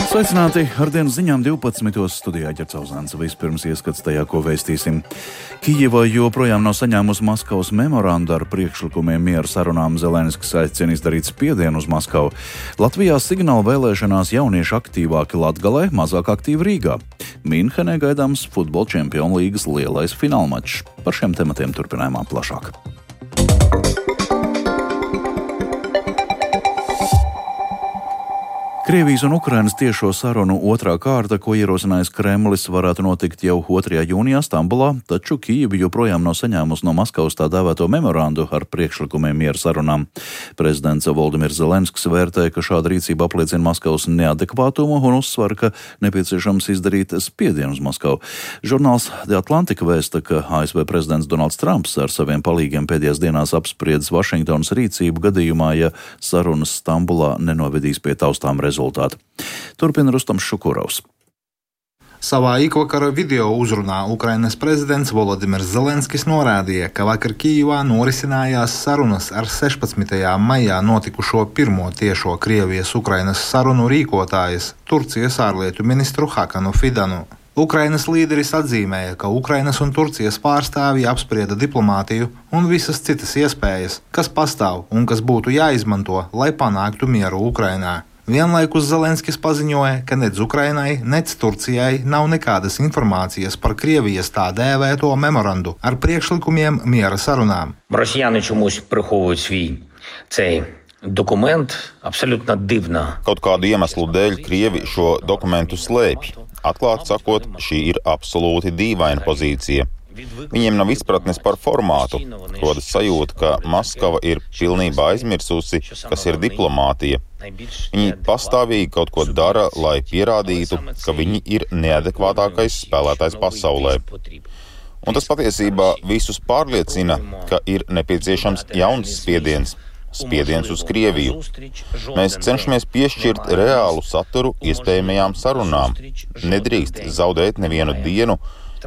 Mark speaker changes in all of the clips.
Speaker 1: Sveicināti ar dienas ziņām 12. studijā Ģercauzāns. Vispirms ieskats tajā, ko vēstīsim. Kijeva joprojām nav saņēmusi Maskavas memorandu ar priekšlikumiem miera sarunām. Zelenskis aicina izdarīt spiedienu uz Maskavu. Latvijā signāla vēlēšanās jaunieši aktīvāki Latgalē, mazāk aktīvi Rīgā. Minhenē gaidāms futbola čempionu līgas lielais finālmačs. Par šiem tematiem turpinājumā plašāk. Krievijas un Ukrainas tiešo sarunu otrā kārta, ko ierosinājis Kremlis, varētu notikt jau 2. jūnijā Stambulā, taču Kijeva joprojām nav saņēmusi no Maskavas tā dēvēto memorandu ar priekšlikumiem miera sarunām. Prezidents Voldimirs Zelenskis vērtē, ka šāda rīcība apliecina Maskavas neadekvātumu un uzsver, ka nepieciešams izdarīt spiedienu uz Maskavu. Žurnāls The Atlantic vēsta, ka ASV prezidents Donalds Trumps ar saviem palīgiem pēdējās dienās apspriedis Vašingtonas rīcību gadījumā, ja sarunas Stambulā nenovedīs pie taustām rezultātu. Turpina Rustams Šukurovs.
Speaker 2: Savā ikvakara video uzrunā Ukrainas prezidents Volodimirs Zelenskis norādīja, ka vakar Kijevā norisinājās sarunas ar 16. maijā notikušo pirmo tiešo Krievijas-Ukrainas sarunu rīkotājas Turcijas ārlietu ministru Hakanu Fidanu. Ukrainas līderis atzīmēja, ka Ukrainas un Turcijas pārstāvji apsprieda diplomātiju un visas citas iespējas, kas pastāv un kas būtu jāizmanto, lai panāktu mieru Ukrainā. Vienlaikus Zelenskis paziņoja, ka nec Ukrainai, nec Turcijai nav nekādas informācijas par Krievijas tā dēvēto memorandu ar priekšlikumiem miera sarunām.
Speaker 3: Росіяни чомусь приховують свій цей документ абсолютно дивно.
Speaker 4: Kaut kādu iemeslu dēļ Krievi šo dokumentu slēpj. Atklāt sakot, šī ir absolūti dīvaina pozīcija. Viņiem nav izpratnes par formātu. Rodas sajūta, ka Maskava ir pilnībā aizmirsusi, kas ir diplomātija. Viņi pastāvīgi kaut ko dara, lai pierādītu, ka viņi ir neadekvātākais spēlētājs pasaulē. Un tas patiesībā visus pārliecina, ka ir nepieciešams jauns spiediens. Spiediens uz Krieviju. Mēs cenšamies piešķirt reālu saturu iespējamajām sarunām. Nedrīkst zaudēt nevienu dienu,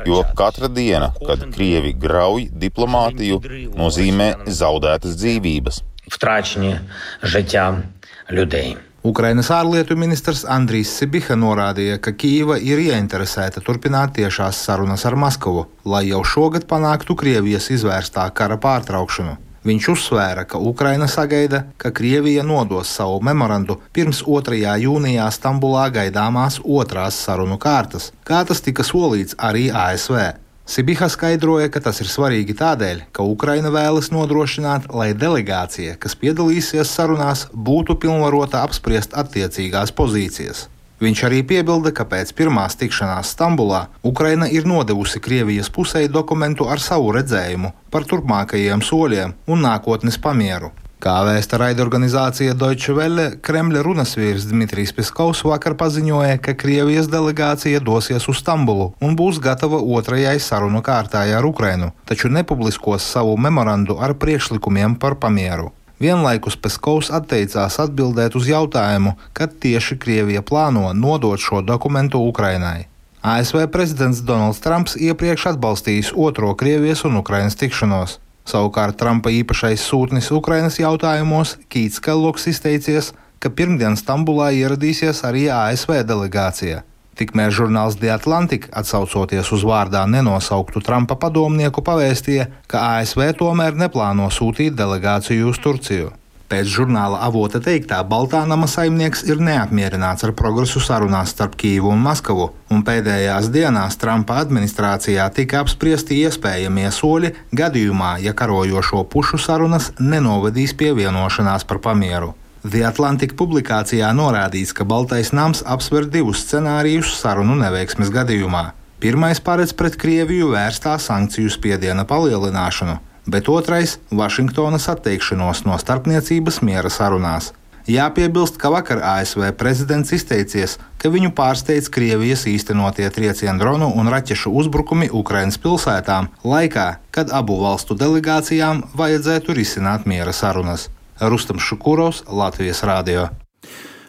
Speaker 4: jo katra diena, kad Krievi grauj diplomātiju, nozīmē zaudētas dzīvības.
Speaker 3: Втрачені життя людей.
Speaker 2: Ukrainas ārlietu ministrs Andrijs Sibiha norādīja, ka Kijeva ir ieinteresēta turpināt tiešās sarunas ar Maskavu, lai jau šogad panāktu Krievijas izvērstā kara pārtraukšanu. Viņš uzsvēra, ka Ukraina sagaida, ka Krievija nodos savu memorandu pirms 2. jūnijā Stambulā gaidāmās otrās sarunu kārtas, kā tas tika solīts arī ASV. Sibiha skaidroja, ka tas ir svarīgi tādēļ, ka Ukraina vēlas nodrošināt, lai delegācija, kas piedalīsies sarunās, būtu pilnvarota apspriest attiecīgās pozīcijas. Viņš arī piebilda, ka pēc pirmās tikšanās Stambulā Ukraina ir nodevusi Krievijas pusei dokumentu ar savu redzējumu par turpmākajiem soļiem un nākotnes pamieru. Kā vēsta raidorganizācija Deutsche Welle, Kremļa runasvīrs Dmitrijs Piskovs vakar paziņoja, ka Krievijas delegācija dosies uz Stambulu un būs gatava otrajai sarunu kārtai ar Ukrainu, taču nepubliskos savu memorandu ar priekšlikumiem par pamieru. Vienlaikus Peskovs atteicās atbildēt uz jautājumu, kad tieši Krievija plāno nodot šo dokumentu Ukrainai. ASV prezidents Donalds Trumps iepriekš atbalstījis otro Krievijas un Ukrainas tikšanos. Savukārt Trumpa īpašais sūtnis Ukrainas jautājumos Kīts Kellogs izteicies, ka pirmdien Stambulā ieradīsies arī ASV delegācija. Tikmēr žurnāls The Atlantic, atsaucoties uz vārdā nenosauktu Trumpa padomnieku, pavēstīja, ka ASV tomēr neplāno sūtīt delegāciju uz Turciju. Pēc žurnāla avota teiktā, Baltā nama saimnieks ir neapmierināts ar progresu sarunās starp Kijevu un Maskavu, un pēdējās dienās Trumpa administrācijā tika apspriesti iespējamie soļi gadījumā, ja karojošo pušu sarunas nenovedīs pie vienošanās par pamieru. The Atlantic publikācijā norādīts, ka Baltais nams apsver divus scenārijus sarunu neveiksmes gadījumā. Pirmais paredz pret Krieviju vērstā sankciju spiediena palielināšanu, bet otrais – Vašingtonas atteikšanos no starpniecības miera sarunās. Jāpiebilst, ka vakar ASV prezidents izteicies, ka viņu pārsteidz Krievijas īstenotie trieciendronu un raķešu uzbrukumi Ukrainas pilsētām laikā, kad abu valstu delegācijām vajadzētu risināt miera sarunas. Rustams Šukurovs, Latvijas radio.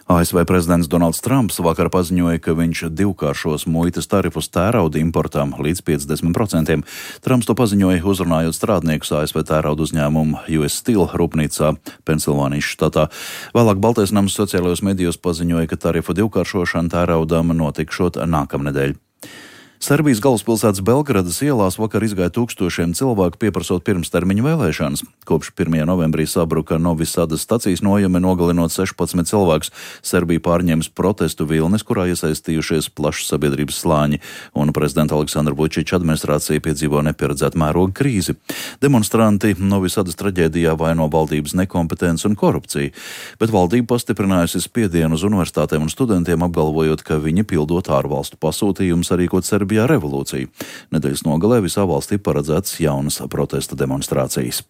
Speaker 1: ASV prezidents Donalds Trumps vakar paziņoja, ka viņš divkāršos muitas tarifus tērauda importam līdz 50%. Trumps to paziņoja, uzrunājot strādniekus ASV tērauda uzņēmumu US Steel rūpnīcā Pensilvānijas štatā. Vēlāk Baltais nams sociālajos medijos paziņoja, ka tarifu divkāršošana tēraudam notikšot nākamnedēļ. Serbijas galvaspilsētas Belgradas ielās vakar izgāja tūkstošiem cilvēku pieprasot pirmstermiņu vēlēšanas. Kopš 1. novembrī sabruka Novi Sadas stacijas nojame, nogalinot 16 cilvēkus. Serbija pārņēmis protestu vilnis, kurā iesaistījušies plašs sabiedrības slāņi, un prezidenta Aleksandra Vučiča administrācija piedzīvo nepieredzētu mēroga krīzi. Demonstranti Novi Sadas traģēdijā vaino valdības nekompetenci un korupciju, bet valdība pastiprinājusi spiedienu uz universitātēm un studentiem, apgalvojot, ka viņi pildot ārvalstu pasūtījumus sarīkot Serbijā revolūciju. Nedēļas nogalē visā valstī paredzētas jaunas protesta demonstrācijas.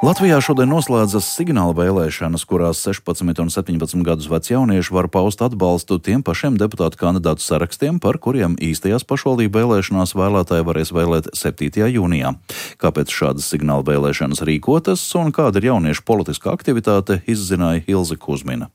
Speaker 1: Latvijā šodien noslēdzas signāla vēlēšanas, kurās 16 un 17 gadus veci jaunieši var paust atbalstu tiem pašiem deputātu kandidātu sarakstiem, par kuriem īstajās pašvaldību vēlēšanās vēlētāji varēs vēlēt 7. jūnijā. Kāpēc šādas signāla vēlēšanas rīkotas un kāda ir jauniešu politiskā aktivitāte, izzināja Ilze Kuzmina.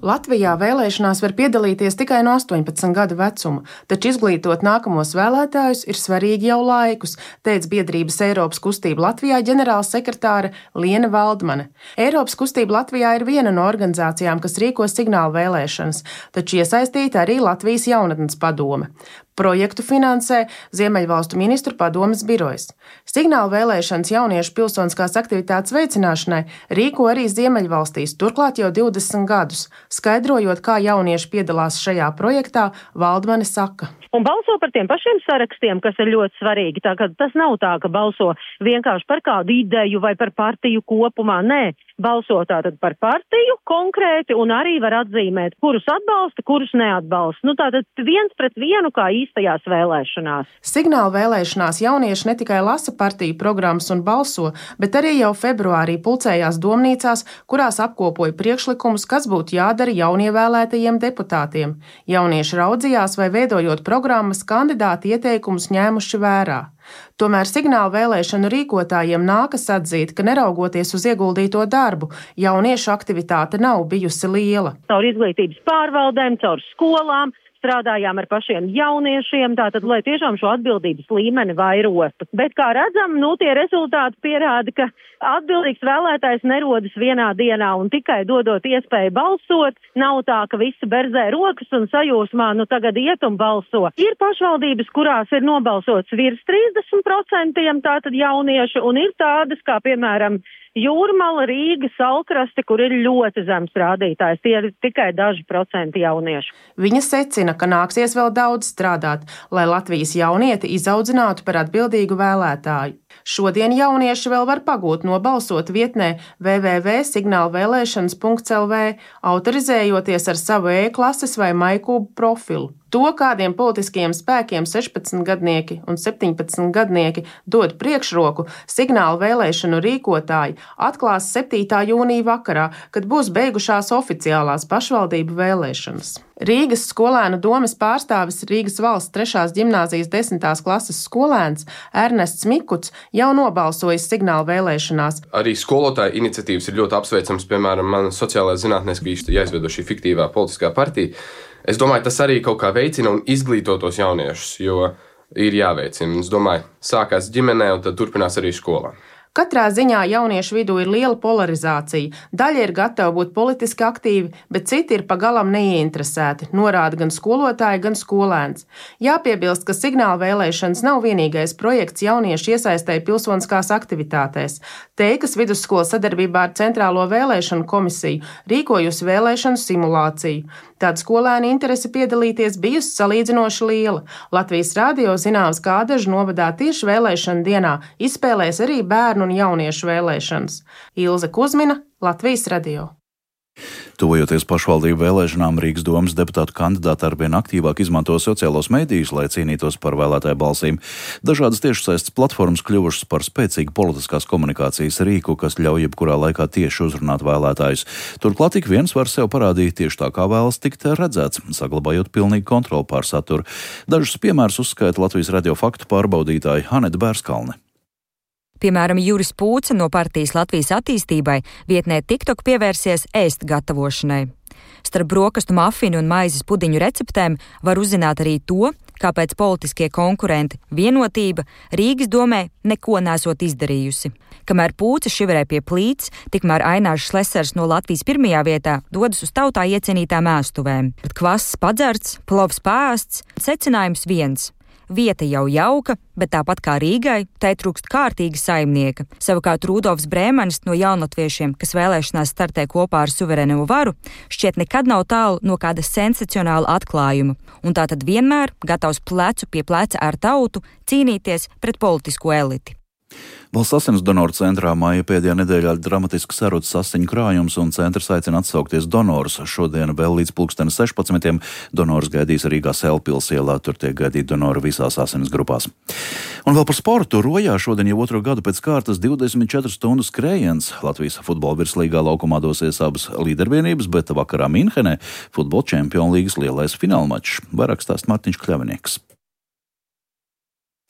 Speaker 5: Latvijā vēlēšanās var piedalīties tikai no 18 gadu vecuma, taču izglītot nākamos vēlētājus ir svarīgi jau laikus, teica biedrības Eiropas kustība Latvijā ģenerālsekretāre Liena Valdmane. Eiropas kustība Latvijā ir viena no organizācijām, kas rīko signālu vēlēšanas, taču iesaistīta arī Latvijas jaunatnes padome. Projektu finansē Ziemeļvalstu ministru padomes birojas. Signāla vēlēšanas jauniešu pilsoniskās aktivitātes veicināšanai rīko arī Ziemeļvalstīs, turklāt jau 20 gadus. Skaidrojot, kā jaunieši piedalās šajā projektā, Valdmane saka.
Speaker 6: Un balso par tiem pašiem sarakstiem, kas ir ļoti svarīgi. Tā, tas nav tā, ka balso vienkārši par kādu ideju vai par partiju kopumā. Nē, balso tātad par partiju konkrēti un arī var atzīmēt, kurus atbalsta, kurus neatbalsta. Tātad 1-1 kā īstajās vēlēšanās.
Speaker 5: Signāla vēlēšanās jaunieši ne tikai lasa partiju programmas un balso, bet arī jau februārī pulcējās domnīcās, kurās apkopoja priekšlikumus, kas būtu jādara jaunievēlētajiem deputātiem. Jaunieši raudzījās, vai veidojot programmas, kandidāti ieteikumus ņēmuši vērā. Tomēr signāla vēlēšanu rīkotājiem nākas atzīt, ka neraugoties uz ieguldīto darbu, jauniešu aktivitāte nav bijusi liela.
Speaker 6: Caur izglītības pārvaldēm, caur skolām, strādājām ar pašiem jauniešiem, tātad, lai tiešām šo atbildības līmeni vairotu. Bet, kā redzam, tie rezultāti pierāda, ka atbildīgs vēlētājs nerodas vienā dienā un tikai dodot iespēju balsot, nav tā, ka visi berzē rokas un sajūsmā, tagad iet un balso. Ir pašvaldības, kurās ir nobalsots virs 30% tātad jauniešu, un ir tādas, kā piemēram Jūrmala, Rīga, Salkraste, kur ir ļoti zems rādītājs. Tie ir tikai daži procenti jauniešu.
Speaker 5: Viņa secina, ka nāksies vēl daudz strādāt, lai Latvijas jaunieti izaudzinātu par atbildīgu vēlētāju. Šodien jaunieši vēl var pagūt nobalsot vietnē www.signalvēlēšanas.lv, autorizējoties ar savu e-klases vai MyKūbu profilu. To, kādiem politiskajiem spēkiem 16-gadnieki un 17-gadnieki dod priekšroku, signāla vēlēšanu rīkotāji atklās 7. jūnija vakarā, kad būs beigušās oficiālās pašvaldību vēlēšanas. Rīgas skolēnu domes pārstāvis Rīgas valsts 3. ģimnāzijas 10. klases skolēns Ernests Mikuts jau nobalsojis signāla vēlēšanās.
Speaker 7: Arī skolotāju iniciatīvas ir ļoti apsveicams, piemēram, man sociālajā zinātnēs bija jāizveido šī fiktīvā politiskā partija. Es domāju, tas arī kaut kā veicina un izglīto tos jauniešus, jo ir jāveicina. Es domāju, sākās ģimenē un tad turpinās arī skolā.
Speaker 5: Katrā ziņā jauniešu vidū ir liela polarizācija. Daļa ir gatava būt politiski aktīvi, bet citi ir pagalam neieinteresēti, norāda gan skolotāji, gan skolēns. Jāpiebilst, ka signāla vēlēšanas nav vienīgais projekts jauniešu iesaistēji pilsoniskās aktivitātēs. Teikas vidusskola sadarbībā ar Centrālo vēlēšanu komisiju rīkojusi vēlēšanu simulāciju. Tāda skolēna interese piedalīties bijusi salīdzinoši liela. Latvijas radio zināms, ka Ādažu novadā tieši vēlēšana dienā izspēlēs arī bērnu un jauniešu vēlēšanas. Ilze Kuzmina, Latvijas radio.
Speaker 1: Tuvojoties pašvaldību vēlēšanām, Rīgas domes deputātu kandidāti arvien aktīvāk izmanto sociālos medijus, lai cīnītos par vēlētāju balsīm. Dažādas tiešsaistes platformas kļuvušas par spēcīgu politiskās komunikācijas rīku, kas ļauj jebkurā laikā tieši uzrunāt vēlētājus. Turklāt ik viens var sev parādīt tieši tā, kā vēlas tikt redzēts, saglabājot pilnīgu kontroli pār saturu. Dažus piemērus uzskaita Latvijas radio faktu pārbaudītāja Aneta Bērskalne.
Speaker 8: Piemēram, Juris Pūce no partijas Latvijas attīstībai vietnē TikTok pievērsies ēst gatavošanai. Starp brokastu mafinu un maizes pudiņu receptēm var uzzināt arī to, kāpēc politiskie konkurenti Vienotība Rīgas domē neko nesot izdarījusi. Kamēr Pūce šiverē pie plīts, tikmēr Ainārs Šlesers no Latvijas pirmajā vietā dodas uz tautā iecienītām ēstuvēm. Kvass padzerts, plovs pāsts, secinājums viens. Vieta jau jauka, bet tāpat kā Rīgai, tai trūkst kārtīga saimnieka. Savukārt Rudolfs Brēmanis no jaunlatviešiem, kas vēlēšanās startē kopā ar suverēno varu, šķiet nekad nav tālu no kāda sensacionāla atklājuma. Un tātad vienmēr gatavs plecu pie pleca ar tautu cīnīties pret politisko eliti.
Speaker 1: Valsts asins donoru centrā māja pēdējā nedēļā dramatiski sarucis asiņu krājums un centrs aicina atsaukties donors. Šodien vēl līdz 16. donors gaidīs Rīgā Selpils ielā, tur tiek gaidīti donori visās asinis grupās. Un vēl par sportu. Rojā šodien jau otro gadu pēc kārtas 24 stundu skrējiens. Latvijas futbola virslīgā laukumā dosies abas līdervienības, bet vakarā Minhenē futbola čempionu līgas lielais finālmačs. Vairāk stāst Mārtiņš Kļavinieks.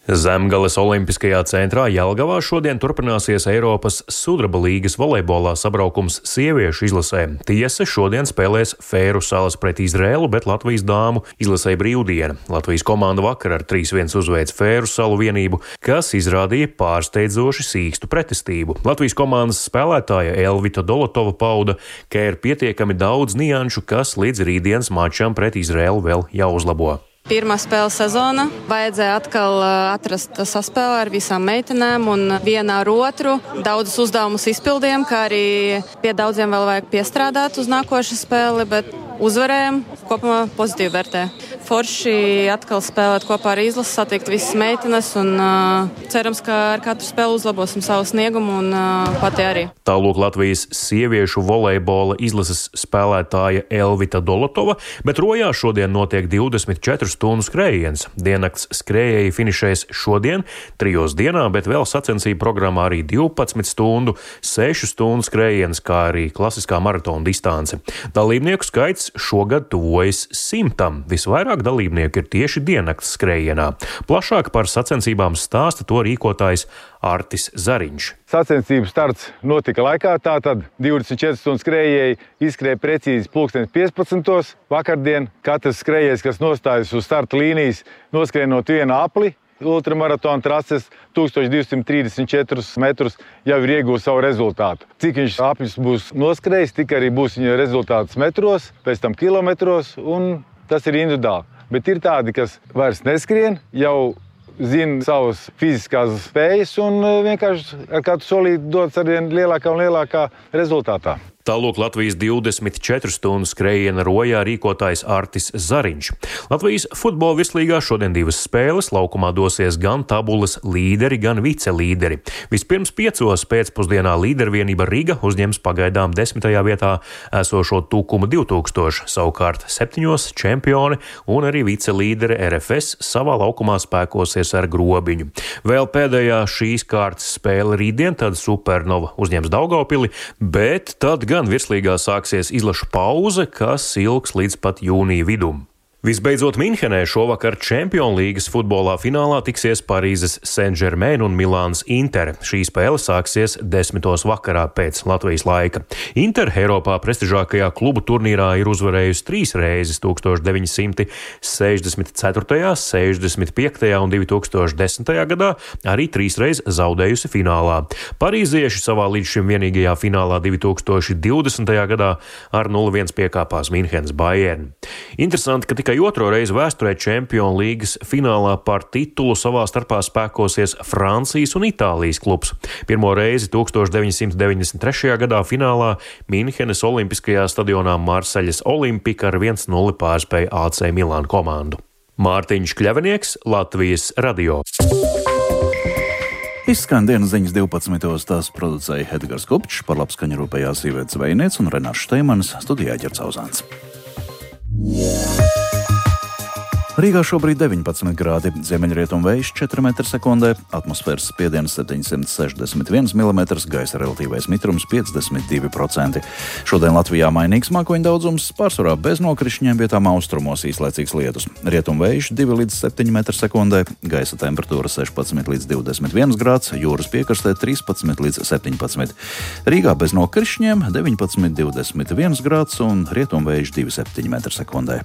Speaker 9: Zemgales Olimpiskajā centrā Jelgavā šodien turpināsies Eiropas sudraba līgas volejbolā sabraukums sieviešu izlasē. Tiesa šodien spēlēs Fēru salas pret Izrēlu, bet Latvijas dāmu izlasē brīvdiena. Latvijas komanda vakar ar 3-1 uzveic Fēru salu vienību, kas izrādīja pārsteidzoši sīkstu pretestību. Latvijas komandas spēlētāja Elvita Dolotova pauda, ka ir pietiekami daudz nianšu, kas līdz rītdienas mačam pret Izrēlu vēl jāuzlabo.
Speaker 10: Pirmā spēle sezona. Vajadzēja atkal atrast saspēli ar visām meitenēm un vienā ar otru. Daudzus uzdevumus izpildījām, kā arī pie daudziem vēl vajag piestrādāt uz nākošu spēli, bet uzvarējām. Kopumā pozitīvi vērtē. Forši atkal spēlēt kopā ar izlasi, satikt visas meitenes un cerams, ka ar katru spēli uzlabosim savu sniegumu un pati arī.
Speaker 9: Tālūk Latvijas sieviešu volejbola izlases spēlētāja Elvita Dolotova, bet Rojā šodien notiek 24 stundu skrējiens. Diennakts skrējēji finišēs šodien 3 dienā, bet vēl sacensību programmā arī 12 stundu, 6 stundu skrējiens, kā arī klasiskā maratona distance. Dalībnieku skaits šogad tuvojas 100. Visvairāk dalībnieku ir tieši diennakts skrējienā. Plašāk par sacensībām stāsta to rīkotājs Artis Zariņš.
Speaker 11: Sacensību starts notika laikā, tātad 24 stundu skrējēji izskrēja precīzi 15:15. Vakardien katrs skrējējs, kas nostājas uz starta līnijas, noskrienot vienu apli, ultramaratona trases 1234 metrus, jau ir iegūst savu rezultātu. Cik viņš apļus būs noskrējis, tik arī būs viņa rezultāts metros, pēc tam kilometros, un tas ir individuāli. Bet ir tādi, kas vairs neskrien, jau zina savas fiziskās spējas un vienkārši ar katru solīti dodas arvien lielākā un lielākā rezultātā.
Speaker 9: Tālūk Latvijas 24 stundu skrējiena Rojā rīkotājs Artis Zariņš. Latvijas futbola virslīgā šodien 2 spēles. Laukumā dosies gan tabulas līderi, gan vicelīderi. Vispirms 5 pēcpusdienā līdervienība Riga uzņems pagaidām 10. vietā esošo Tukuma 2000, savukārt 7 čempioni un arī vicelīdere RFS savā laukumā spēkosies ar Grobiņu. Vēl pēdējā šīs kārtas spēle rītdien, tad Supernova uzņems Daugavpili, bet tad gan virslīgā sāksies izlašu pauze, kas ilgs līdz pat jūnija vidum. Visbeidzot, Minhenē šovakar Čempionu līgas futbolā finālā tiksies Parīzes Saint-Germain un Milānas Inter. Šī spēle sāksies 10. vakarā pēc Latvijas laika. Inter Eiropā prestižākajā klubu turnīrā ir uzvarējusi 3 reizes 1964., 65. un 2010. gadā, arī 3 reizes zaudējusi finālā. Parīzieši savā līdz šim vienīgajā finālā 2020. gadā ar 0-1 piekāpās Minhenes Bayern. Interesanti, ka tikai otro reizi vēsturē Čempionu līgas finālā par titulu savā starpā spēkosies Francijas un Itālijas klubs. Pirmo reizi 1993. gadā finālā Minhenes Olimpiskajā stadionā Marseļas Olimpika ar 1-0 pārspēja AC Milānu komandu. Mārtiņš Kļavinieks, Latvijas radio.
Speaker 1: Izskan dienas ziņas 12. Tās producēja Edgars Kupčs, par labskaņu rūpējās Iveta Zvejniece un Renārs Šteimanis, studijā Ģercauzāns. Rīgā šobrīd 19 grādi, ziemeļrietumu vējš 4 m/sekundē, atmosfēras spiediens 761 mm, gaisa relatīvais mitrums 52%. Šodien Latvijā mainīgs mākoņu daudzums, pārsvarā bez nokrišņiem, vietām austrumos īslaicīgs lietus. Rietumu vējš 2 līdz 7 m/sekundē, gaisa temperatūra 16 līdz 21 grāds, jūras piekrastē 13 līdz 17. Rīgā bez nokrišņiem 19, 21 grāds un rietumu vējš 2,7 m/sekundē.